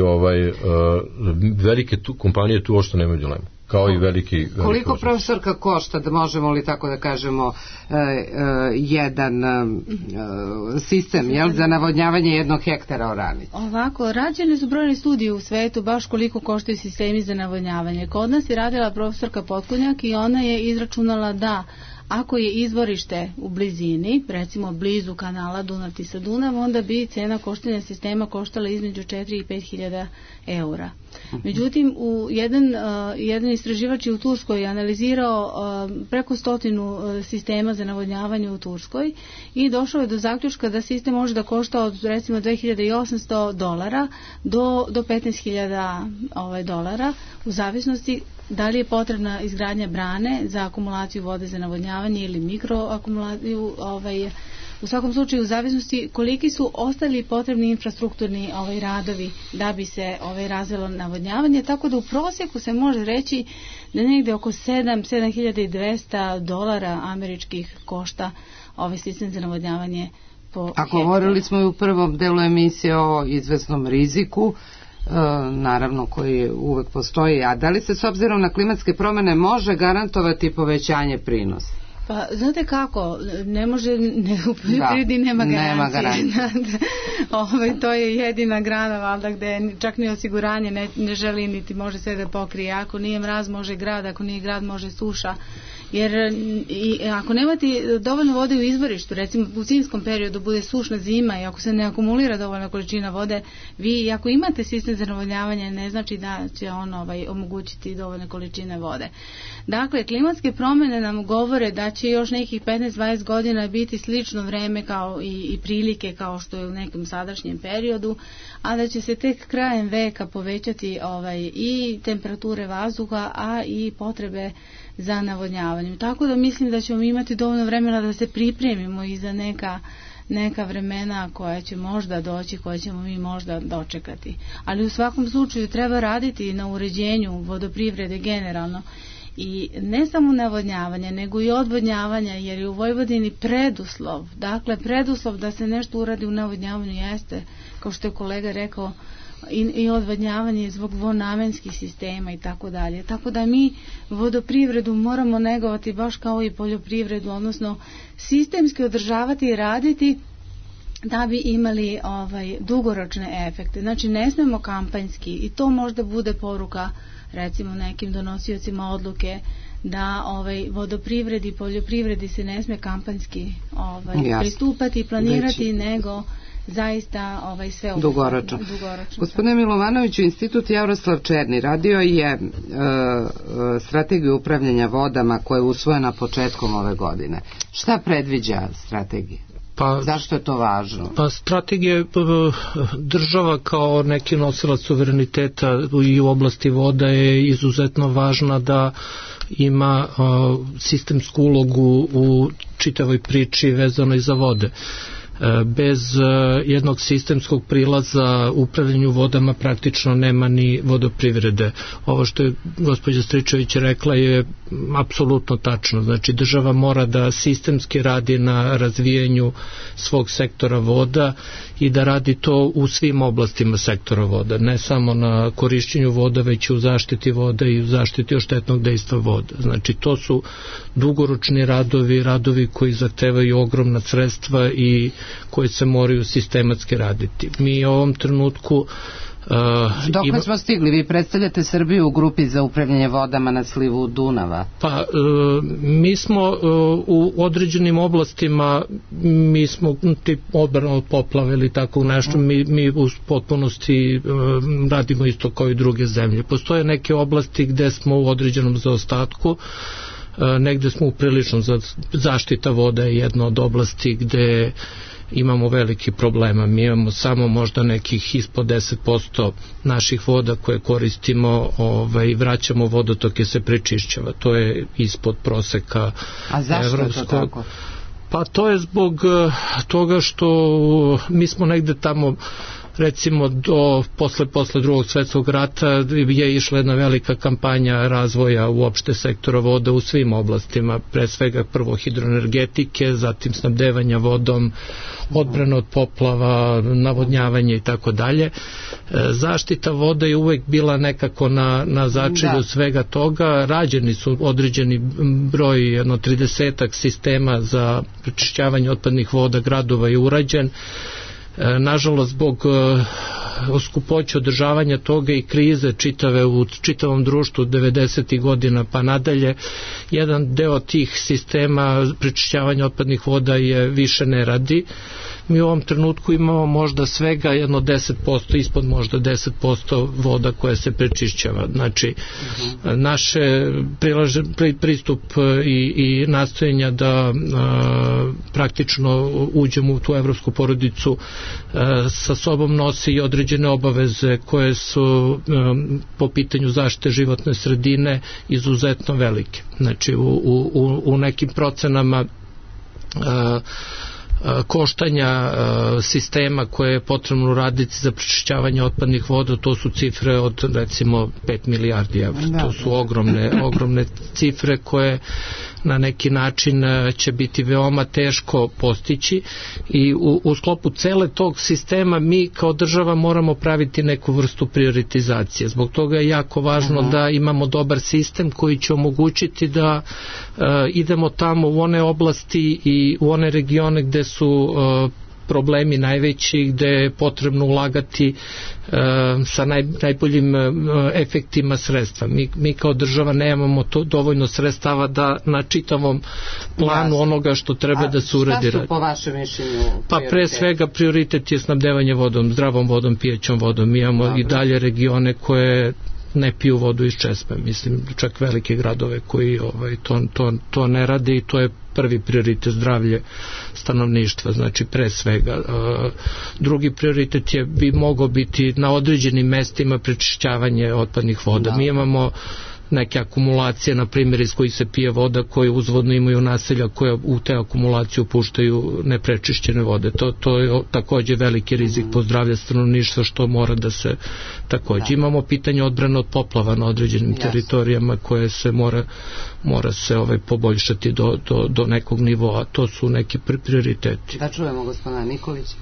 velike kompanije tu ošto nemaju dilemu. Kao i veliki koliko profesorka košta, da možemo li tako da kažemo, jedan sistem za navodnjavanje 1 hektara oranica? Ovako, rađene su brojne studije u svetu baš koliko koštaju sistemi za navodnjavanje. Kod nas je radila profesorka Potkonjak i ona je izračunala da ako je izvorište u blizini, recimo blizu kanala Dunav-Tisa-Dunav, onda bi cena koštanja sistema koštala između 4 i 5 hiljada eura. Međutim, jedan istraživač je u Turskoj analizirao preko 100 sistema za navodnjavanje u Turskoj i došao je do zaključka da sistem može da košta od recimo $2.800 do $15.000 u zavisnosti da li je potrebna izgradnja brane za akumulaciju vode za navodnjavanje ili mikroakumulaciju, u svakom slučaju u zavisnosti koliki su ostali potrebni infrastrukturni radovi da bi se razvilo navodnjavanje, tako da u prosjeku se može reći da negde oko $7.200 američkih košta ovaj sistem za navodnjavanje po hektaru. A govorili smo i u prvom delu emisije o izvesnom riziku, naravno koji uvek postoji, a da li se s obzirom na klimatske promene može garantovati povećanje prinosa? Pa, znate kako, ne može, u poljoprivredi nema garancije. To je jedina grana, valjda, gde čak ni osiguranje ne želi niti može sve da pokrije. Ako nije mraz, može grad, ako nije grad, može suša. Jer ako nemate dovoljno vode u izvorištu, recimo u zimskom periodu bude sušna zima i ako se ne akumulira dovoljna količina vode, vi ako imate sistem za navodnjavanje ne znači da će on omogućiti dovoljne količine vode. Dakle, klimatske promjene nam govore da će još nekih 15-20 godina biti slično vreme kao i prilike kao što je u nekom sadašnjem periodu, a da će se tek krajem veka povećati i temperature vazduha, a i potrebe za navodnjavanjem. Tako da mislim da ćemo imati dovoljno vremena da se pripremimo i za neka vremena koja će možda doći, koje ćemo mi možda dočekati. Ali u svakom slučaju treba raditi na uređenju vodoprivrede generalno I ne samo navodnjavanje, nego i odvodnjavanja, jer je u Vojvodini preduslov, dakle preduslov da se nešto uradi u navodnjavanju jeste, kao što je kolega rekao, i odvodnjavanje zbog dvonamenskih sistema i tako dalje. Tako da mi vodoprivredu moramo negovati baš kao i poljoprivredu, odnosno sistemski održavati i raditi da bi imali dugoročne efekte. Znači ne smemo kampanjski, i to možda bude poruka recimo nekim donosiocima odluke, da vodoprivredi i poljoprivredi se ne sme kampanjski pristupati i planirati, nego zaista sve dugoročno. Gospodine Milovanoviću, Institut Jaroslav Černi radio je strategiju upravljanja vodama koja je usvojena početkom ove godine. Šta predviđa strategija? Zašto je to važno? Pa strategija država kao neki nosilac suvereniteta i u oblasti voda je izuzetno važna da ima sistemsku ulogu u čitavoj priči vezanoj za vode. Bez jednog sistemskog prilaza upravljanju vodama praktično nema ni vodoprivrede. Ovo što je gospođa Stričević rekla je apsolutno tačno. Znači država mora da sistemski radi na razvijanju svog sektora voda i da radi to u svim oblastima sektora voda, ne samo na korišćenju voda, već i u zaštiti voda i u zaštiti od štetnog dejstva voda. Znači to su dugoročni radovi koji zahtevaju ogromna sredstva i koji se moraju sistematski raditi. Mi u ovom trenutku Dok smo stigli? Vi predstavljate Srbiju u grupi za upravljanje vodama na slivu Dunava. Pa, mi smo u određenim oblastima, mi smo tip odbrana od poplave ili tako nešto, mi u potpunosti radimo isto kao i druge zemlje. Postoje neke oblasti gde smo u određenom zaostatku, negde smo uprilično, zaštita voda je jedna od oblasti gde imamo veliki problema. Mi imamo samo možda nekih ispod 10% naših voda koje koristimo i vraćamo vodotoke se prečišćava. To je ispod proseka evropskog. A zašto je to tako? Pa to je zbog toga što mi smo negde tamo, recimo do posle drugog svetskog rata je išla jedna velika kampanja razvoja uopšte sektora voda u svim oblastima, pre svega prvo hidroenergetike, zatim snabdevanja vodom, odbrana od poplava, navodnjavanje i tako dalje. Zaštita voda je uvek bila nekako na začelju svega toga. Rađeni su određeni broj, jedno 30-ak sistema za prečišćavanje otpadnih voda gradova je urađen. Nažalost, zbog skupoće održavanja toga i krize čitave u čitavom društvu 90. godina pa nadalje, jedan deo tih sistema prečišćavanja otpadnih voda je više ne radi. Mi u ovom trenutku imamo možda svega jedno 10%, ispod možda 10% voda koja se prečišćava. Znači, naše pristup i nastojenja da praktično uđemo u tu evropsku porodicu sa sobom nosi i određene obaveze koje su po pitanju zaštite životne sredine izuzetno velike. Znači, u nekim procenama koštanja sistema koje je potrebno uraditi za prečišćavanje otpadnih voda, to su cifre od recimo 5 milijardi evra. To su ogromne cifre koje na neki način će biti veoma teško postići i u sklopu cele tog sistema mi kao država moramo praviti neku vrstu prioritizacije. Zbog toga je jako važno da imamo dobar sistem koji će omogućiti da idemo tamo u one oblasti i u one regione gde su problemi najveći, gde je potrebno ulagati sa najboljim efektima sredstva. Mi kao država nemamo dovoljno sredstava da na čitavom planu onoga što treba da se uredi. Šta su po vašem mišljenju? Pa pre svega prioritet je snabdevanje vodom, zdravom vodom, pijećom vodom. Mi imamo i dalje regione koje ne piju vodu iz česme, mislim čak velike gradove koji to ne rade i to je prvi prioritet, zdravlje stanovništva, znači pre svega. Drugi prioritet bi mogao biti na određenim mestima prečišćavanje otpadnih voda. Mi imamo neke akumulacije, na primjer iz kojih se pije voda, koje uzvodno imaju naselja koja u te akumulaciju puštaju neprečišćene vode. To je takođe veliki rizik po zdravlje stanovništva, što mora da se takođe. Imamo pitanje odbrane od poplava na određenim teritorijama koje se mora se poboljšati do nekog nivoa. To su neki prioriteti. Da čujemo gospodina Nikolića.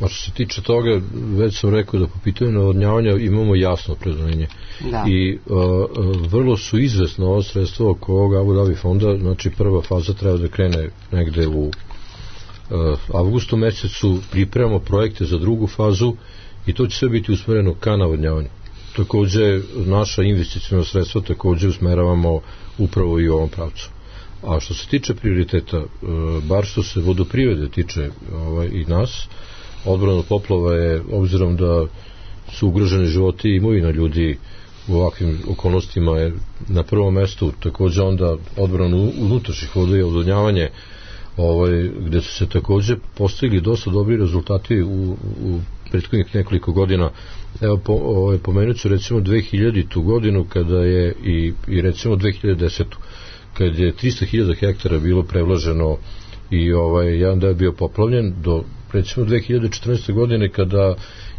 A što se tiče toga, već sam rekao da po pitanju navodnjavanja imamo jasno opredeljenje. I vrlo su izvesna ova sredstva oko ovog Abu Dhabi fonda. Znači prva faza treba da krene negde u avgustu mesecu, pripremamo projekte za drugu fazu i to će sve biti usmereno ka navodnjavanju. Takođe naša investicijna sredstva takođe usmeravamo upravo i u ovom pravcu. A što se tiče prioriteta, bar što se vodoprivrede tiče i nas, odbrana od poplava je, obzirom da su ugroženi životi i imovina ljudi u ovakvim okolnostima, je na prvom mestu. Takođe onda odbrana unutrašnjih voda i odvodnjavanje, gde su se takođe postigli dosta dobri rezultati u prethodnih nekoliko godina. Evo, pomenut ću recimo 2000. godinu kada je i recimo 2010. kad je 300.000 hektara bilo prevlaženo i jedan deo je bio poplavljen, do recimo 2014. godine kada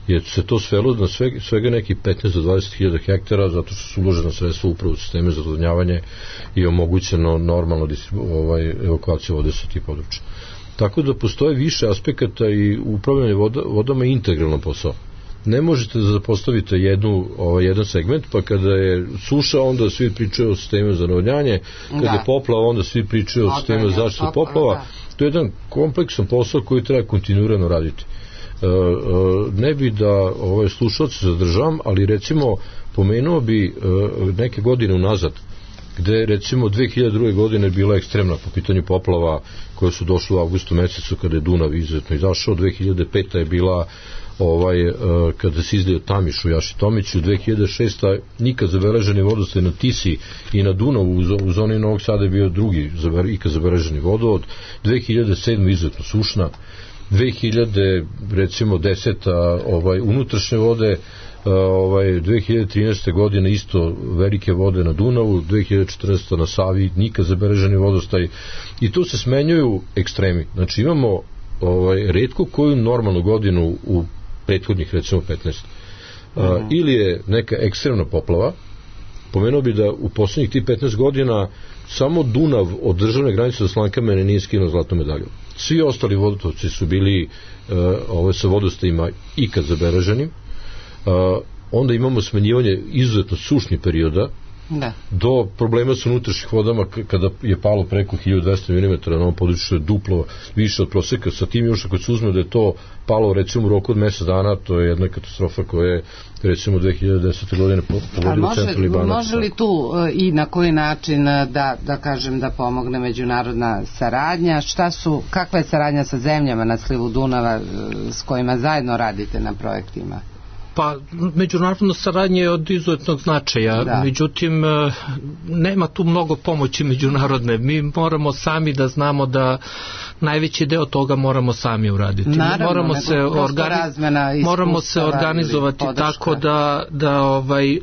je se to svelo na svega nekih 15 do 20.000 hektara, zato što su uložena sredstva upravo u sisteme za odvodnjavanje i omogućeno normalno evakuaciju vode sa tih područja. Tako da postoje više aspekata i upravljanje vodama je integralno posao. Ne možete da zapostavite jedan segment, pa kada je suša onda svi pričaju o sistemu za navodnjanje, kada je poplava onda svi pričaju o sistemu za zaštitu poplava. To je jedan kompleksan posao koji treba kontinuirano raditi. Ne bi da slušalce zadržavam, ali recimo pomenuo bi neke godine unazad, gde recimo 2002. godine bila ekstremna po pitanju poplava koje su došle u avgustu mesecu kada je Dunav izuzetno izašao. 2005. je bila kada se izlio Tamiš u Jaši Tomiću, 2006. nikad zabeleženi vodostaj na Tisi i na Dunavu u zoni Novog Sada je bio drugi ikad zabeleženi vodovod, 2007. izuzetno sušna, 2010. unutrašnje vode, 2013. godine isto velike vode na Dunavu, 2014. na Savi nikad zabeleženi vodostaj i tu se smenjuju ekstremi. Znači imamo retko koju normalnu godinu u prethodnih recimo 15. Ili je neka ekstremna poplava. Pomenuo bi da u poslednjih tih 15 godina samo Dunav od državne granice do Slankamene nije skinuo zlatnu medalju. Svi ostali vodotoci su bili sa vodostajima ikad zabeleženim. Onda imamo smenjivanje izuzetno sušnih perioda, do problema sa unutrašnjih vodama kada je palo preko 1200 mm na ovom području, je duplo više od proseka. Sa tim još ako se uzme da je to palo recimo u roku od mesec dana, to je jedna katastrofa koja je recimo 2010. godine pogodila centralni Banat. Može li tu i na koji način da kažem da pomogne međunarodna saradnja? Kakva je saradnja sa zemljama na slivu Dunava s kojima zajedno radite na projektima? Pa, međunarodna saradnja je od izuzetnog značaja, međutim nema tu mnogo pomoći međunarodne. Mi moramo sami da znamo da najveći deo toga moramo sami uraditi. Moramo se organizovati tako da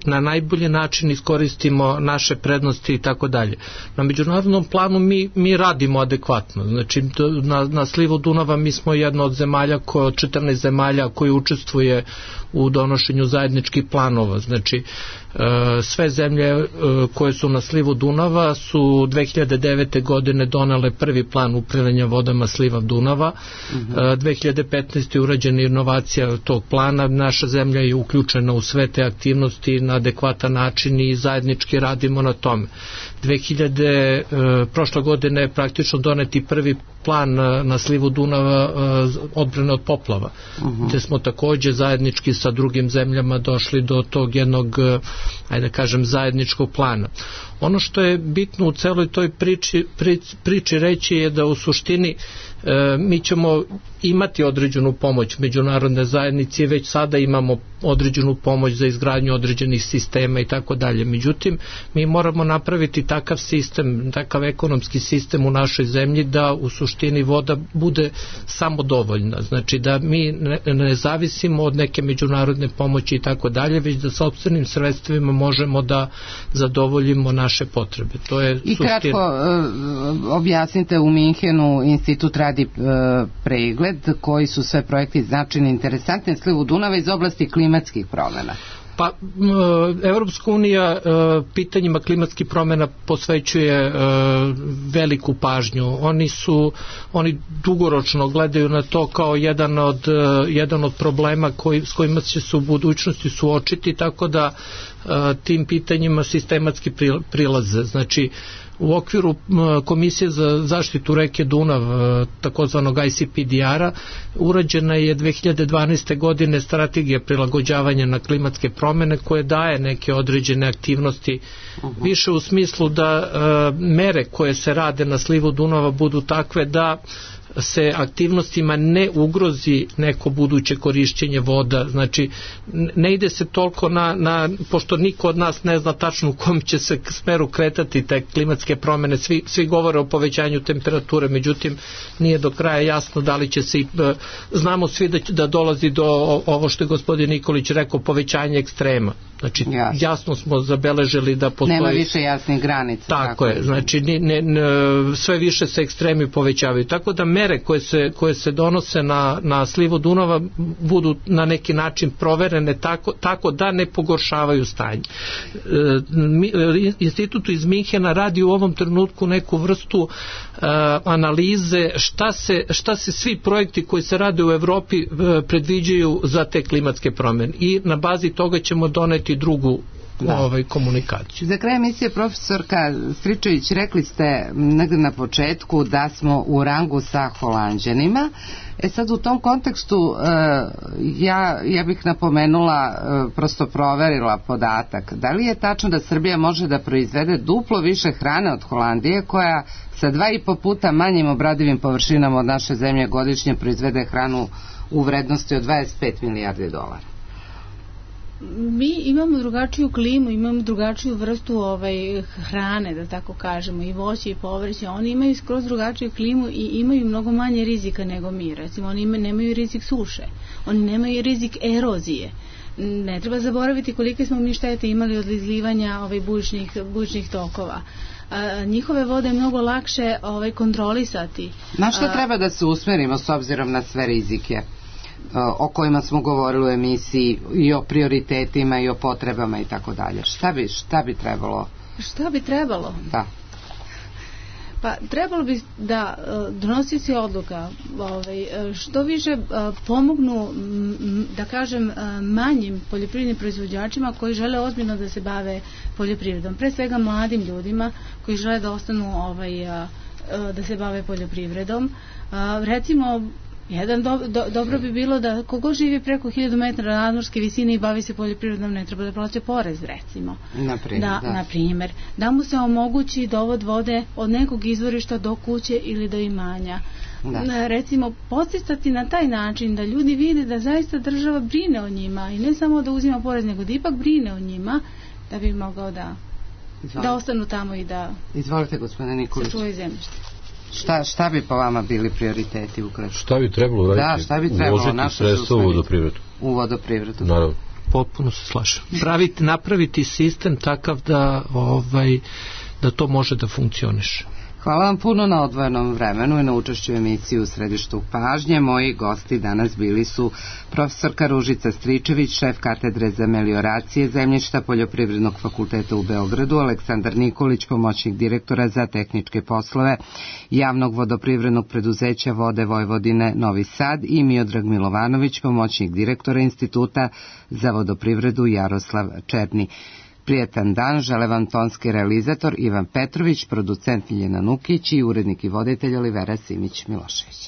na najbolji način iskoristimo naše prednosti i tako dalje. Na međunarodnom planu mi radimo adekvatno. Znači, na slivu Dunava mi smo jedna od zemalja, od 14 zemalja koji učestvuje u donošenju zajedničkih planova. Znači, sve zemlje koje su na slivu Dunava su 2009. godine donale prvi plan upravljanja vodama sliva Dunava. 2015. je urađena inovacija tog plana. Naša zemlja je uključena u sve te aktivnosti na adekvatan način i zajednički radimo na tome. Prošle godine je praktično doneti prvi plan na slivu Dunava odbrane od poplava, gde smo takođe zajednički sa drugim zemljama došli do tog jednog, ajde kažem, zajedničkog plana. Ono što je bitno u celoj toj priči reći je da u suštini mi ćemo imati određenu pomoć međunarodne zajednice, već sada imamo određenu pomoć za izgradnju određenih sistema i tako dalje. Međutim, mi moramo napraviti takav sistem, takav ekonomski sistem u našoj zemlji da u suštini voda bude samodovoljna. Znači da mi ne zavisimo od neke međunarodne pomoći i tako dalje, već da sopstvenim sredstvima možemo da zadovoljimo naše potrebe. To je i kratko objasnite, u Minhenu institut radi pregled koji su sve projekti značajni, interesantni na slivu Dunava iz oblasti klimatskih promjena. Pa, Evropska unija pitanjima klimatskih promjena posvećuje veliku pažnju. Oni dugoročno gledaju na to kao jedan od problema s kojima će se u budućnosti suočiti, tako da tim pitanjima sistematski prilaze. Znači, u okviru Komisije za zaštitu reke Dunav, takozvanog ICPDR-a, urađena je 2012. godine strategija prilagođavanja na klimatske promjene koje daje neke određene aktivnosti, više u smislu da mere koje se rade na slivu Dunava budu takve da se aktivnostima ne ugrozi neko buduće korišćenje voda. Znači, ne ide se toliko pošto niko od nas ne zna tačno u kom će se smeru kretati te klimatske promjene, svi govore o povećanju temperature, međutim nije do kraja jasno da li će se znamo svi da dolazi do ovo što je gospodin Nikolić rekao, povećanje ekstrema. Znači, jasno smo zabeležili da postoji... Nema više jasnih granica. Tako je, znači sve više se ekstremi povećavaju, tako da mere koje se donose na slivu Dunava budu na neki način proverene tako da ne pogoršavaju stanje. Institut iz Minhena radi u ovom trenutku neku vrstu analize šta se svi projekti koji se rade u Evropi predviđaju za te klimatske promjene i na bazi toga ćemo doneti drugu komunikaciju. Za kraj emisije, profesorka Stričević, rekli ste negde na početku da smo u rangu sa Holanđanima. Sad u tom kontekstu ja bih napomenula, prosto proverila podatak. Da li je tačno da Srbija može da proizvede duplo više hrane od Holandije, koja sa 2,5 puta manjim obradivim površinama od naše zemlje godišnje proizvede hranu u vrednosti od 25 milijardi dolara? Mi imamo drugačiju klimu, imamo drugačiju vrstu hrane, da tako kažemo, i voće i povrće. Oni imaju skroz drugačiju klimu i imaju mnogo manje rizika nego mi. Recimo, oni nemaju rizik suše, oni nemaju rizik erozije. Ne treba zaboraviti kolike smo mi štete imali od izlivanja bujičnih tokova. Njihove vode je mnogo lakše kontrolisati. Na što treba da se usmerimo s obzirom na sve rizike o kojima smo govorili u emisiji, i o prioritetima i o potrebama i tako dalje? Šta bi trebalo? Šta bi trebalo? Da. Pa trebalo bi da donosioci odluka što više pomognu, da kažem, manjim poljoprivrednim proizvođačima koji žele ozbiljno da se bave poljoprivredom. Pre svega mladim ljudima koji žele da ostanu da se bave poljoprivredom. Recimo, dobro bi bilo da kogo živi preko 1000 metara nadmorske visine i bavi se poljoprivredom, ne treba da plaća porez, recimo. Na primjer, da mu se omogući dovod vode od nekog izvorišta do kuće ili do imanja. Recimo, podsticati na taj način da ljudi vide da zaista država brine o njima i ne samo da uzima porez, nego da ipak brine o njima, da bi mogao da ostanu tamo i da... Izvolite, gospodine Nikolić. Sačuvaju zemljište. Šta bi po vama bili prioriteti ukratko? Šta bi trebalo raditi? Da, šta bi trebalo? Uložiti sredstva u vodoprivredu. U vodoprivredu. Naravno. Potpuno se slažem. Napraviti sistem takav da to može da funkcioniše. Hvala vam puno na odvojenom vremenu i na učešću u emisiji U središtu pažnje. Moji gosti danas bili su profesorka Ružica Stričević, šef katedre za melioracije zemljišta Poljoprivrednog fakulteta u Beogradu, Aleksandar Nikolić, pomoćnik direktora za tehničke poslove Javnog vodoprivrednog preduzeća Vode Vojvodine Novi Sad, i Miodrag Milovanović, pomoćnik direktora Instituta za vodoprivredu Jaroslav Černi. Prijetan dan žele vam tonski realizator Ivan Petrović, producent Miljana Nukić i urednik i voditelj Olivera Simić-Milošević.